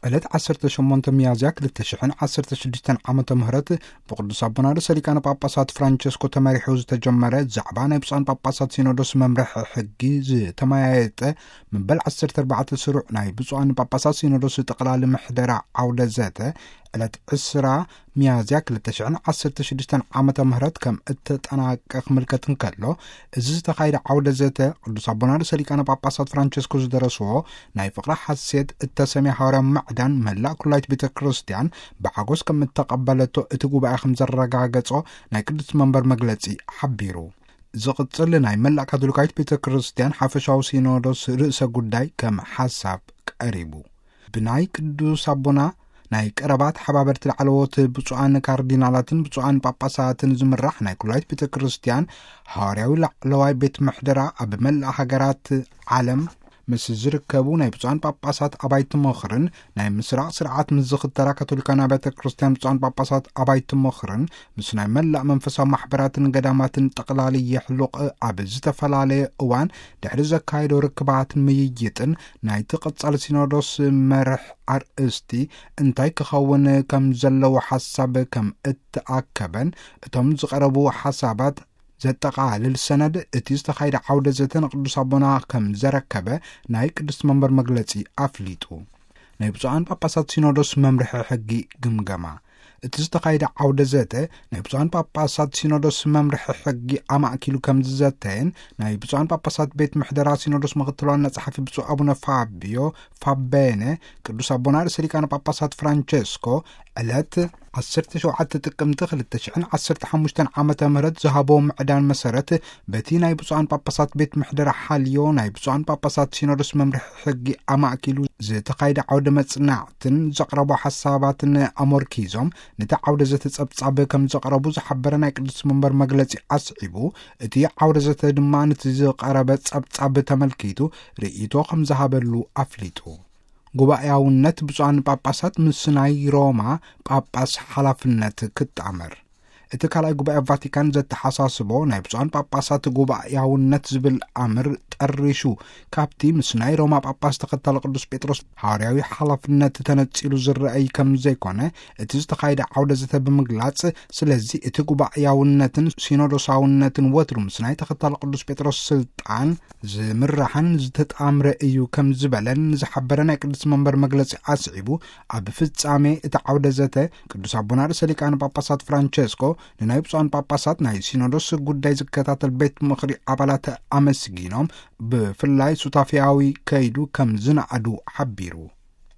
ዕለት ዓሰርተ ሸሞንተ ሚያዝያ ክልተ ሽሕን ዓሰርተ ሽዱሽተን ዓመተ ምህረት ብቅዱስ ኣቦና ርእሰ ሊቃነ ጳጳሳት ፍራንቸስኮ ተመሪሑ ዝተጀመረ ዛዕባ ናይ ብፁዓን ጳጳሳት ሲኖዶስ መምርሒ ሕጊ ዝተመያየጠ መበል ዓሰርተ ኣርባዕተ ስሩዕ ናይ ብፁዓን ጳጳሳት ሲኖዶስ ጠቕላሊ ምሕደራ ዓውደ ዘተ ዕለት ዕስራ ሚያዝያ ክልተ ሽሕን ዓሰርተ ሽዱሽተን ዓመተ ምህረት ከም እተጠናቀቕ ምልከት እንከሎ፣ እዚ ዝተኻየደ ዓውደ ዘተ ቅዱስ ኣቦና ርእሰ ሊቃነ ጳጳሳት ፍራንቸስኮ ዝደረስዎ ናይ ፍቕሪ ሓሴት እተሰምየ ሃዋርያዊ ምዕዳን መላእ ኩላይት ቤተ ክርስቲያን ብሓጎስ ከም እተቐበለቶ እቲ ጉባኤ ከም ዘረጋገጾ ናይ ቅዱስ መንበር መግለጺ ሓቢሩ። ዝቕጽል ናይ መላእ ካቶሊካዊት ቤተ ክርስቲያን ሓፈሻዊ ሲኖዶስ ርእሰ ጉዳይ ከም ሓሳብ ቀሪቡ። ብናይ ቅዱስ ኣቦና ናይ ቀረባ ተሓባበርቲ ላዕለዎት ብፁዓን ካርዲናላትን ብፁዓን ጳጳሳትን ዝምራሕ ናይ ኩላይት ቤተ ክርስቲያን ሃዋርያዊ ላዕለዋይ ቤት ምሕደራ ኣብ መላእ ሃገራት ዓለም ምስ ዝርከቡ ናይ ብፁዓን ጳጳሳት ኣባይቲ ምኽርን ናይ ምስራቕ ስርዓት ምስ ዝኽተላ ካቶሊካን ኣብያተ ክርስቲያን ብፁዓን ጳጳሳት ኣባይቲ ምኽርን ምስ ናይ መላእ መንፈሳዊ ማሕበራትን ገዳማትን ጠቕላሊ የሕሉቕ ኣብ ዝተፈላለየ እዋን ድሕሪ ዘካየዶ ርክባትን ምይይጥን ናይቲ ቀጻሊ ሲኖዶስ መርሕ ኣርእስቲ እንታይ ክኸውን ከም ዘለዎ ሓሳብ ከም እተኣከበን እቶም ዝቐረቡ ሓሳባት ዘጠቓልል ሰነድ እቲ ዝተኻየደ ዓውደ ዘተ ንቅዱስ ኣቦና ከም ዘረከበ ናይ ቅዱስ መንበር መግለጺ ኣፍሊጡ። ናይ ብፁዓን ጳጳሳት ሲኖዶስ መምርሒ ሕጊ ግምገማ። እቲ ዝተኻየደ ዓውደ ዘተ ናይ ብፁዓን ጳጳሳት ሲኖዶስ መምርሒ ሕጊ ኣማእኪሉ ከም ዝዘተየን ናይ ብፁዓን ጳጳሳት ቤት ምሕደራ ሲኖዶስ ምኽትል ዋና ጸሓፊ ብፁዕ ኣቡነ ፋቢዮ ፋቤነ ቅዱስ ኣቦና ርእሰ ሊቃነ ጳጳሳት ፍራንቸስኮ ዕለት ዓሰርተ ሸውዓተ ጥቅምቲ ክልተ ሽሕን ዓሰርተ ሓሙሽተን ዓመተ ምህረት ዝሃቦ ምዕዳን መሰረት በቲ ናይ ብፁዓን ጳጳሳት ቤት ምሕደራ ሓልዮ ናይ ብፁዓን ጳጳሳት ሲኖዶስ መምርሒ ሕጊ ኣማእኪሉ ዝተኻየደ ዓውደ መጽናዕትን ዘቕረቦ ሓሳባትን ኣመርኪዞም ነቲ ዓውደ ዘተ ጸብጻብ ከም ዘቕረቡ ዝሓበረ ናይ ቅዱስ መንበር መግለጺ ኣስዒቡ፣ እቲ ዓውደ ዘተ ድማ ነቲ ዝቐረበ ጸብጻብ ተመልኪቱ ርእይቶ ከም ዝሃበሉ ኣፍሊጡ። ጉባኤያውነት ብፁዓን ጳጳሳት ምስ ናይ ሮማ ጳጳስ ሓላፍነት ክጣመር። እቲ ካልኣይ ጉባኤ ቫቲካን ዘተሓሳስቦ ናይ ብፁዓን ጳጳሳት ጉባኤያውነት ዝብል ኣምር ጠሪሹ ካብቲ ምስ ናይ ሮማ ጳጳስ ተኸታሊ ቅዱስ ጴጥሮስ ሃዋርያዊ ሓላፍነት ተነጺሉ ዝረኣይ ከም ዘይኮነ እቲ ዝተኻየደ ዓውደ ዘተ ብምግላጽ፣ ስለዚ እቲ ጉባኤያውነትን ሲኖዶሳውነትን ወትሩ ምስ ናይ ተኸታሊ ቅዱስ ጴጥሮስ ስልጣን ዝምራሕን ዝተጣምረ እዩ ከም ዝበለን ዝሓበረ ናይ ቅዱስ መንበር መግለጺ ኣስዒቡ፣ ኣብ ፍጻሜ እቲ ዓውደ ዘተ ቅዱስ ኣቦና ርእሰ ሊቃነ ጳጳሳት ፍራንቸስኮ ንናይ ብፁዓን ጳጳሳት ናይ ሲኖዶስ ጉዳይ ዝከታተል ቤት ምኽሪ ኣባላት ኣመስጊኖም፣ ብፍላይ ሱታፊያዊ ከይዱ ከም ዝነኣዱ ሓቢሩ።